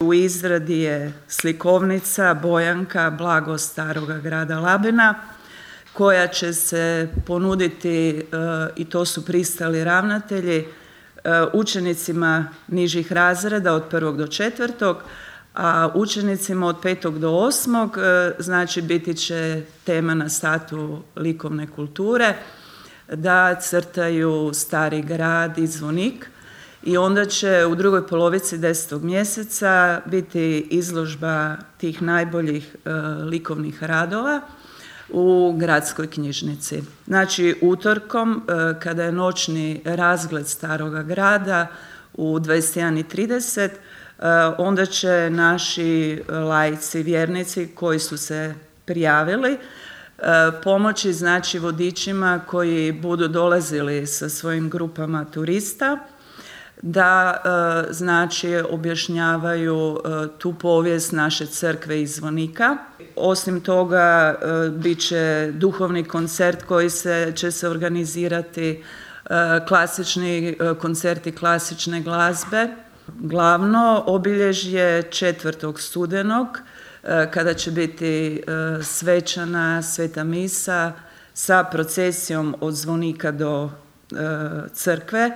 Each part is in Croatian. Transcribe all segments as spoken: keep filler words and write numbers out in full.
U izradi je slikovnica Bojanka Blago staroga grada Labina koja će se ponuditi, i to su pristali ravnatelji, učenicima nižih razreda od prvog do četvrtog, a učenicima od petog do osmog, znači biti će tema na satu likovne kulture, da crtaju Stari grad i Zvonik. I onda će u drugoj polovici desetog mjeseca biti izložba tih najboljih e, likovnih radova u gradskoj knjižnici. Znači utorkom, e, kada je noćni razgled Staroga grada u dvadeset jedan i trideset, e, onda će naši laici, vjernici koji su se prijavili, e, pomoći znači vodičima koji budu dolazili sa svojim grupama turista, da e, znači objašnjavaju e, tu povijest naše crkve i Zvonika. Osim toga e, bit će duhovni koncert koji se, će se organizirati, e, klasični e, koncerti klasične glazbe. Glavno obilježje četvrtog studenog e, kada će biti e, svečana sveta misa sa procesijom od Zvonika do e, crkve.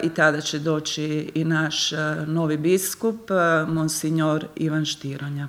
I tada će doći i naš novi biskup, monsignor Ivan Štironja.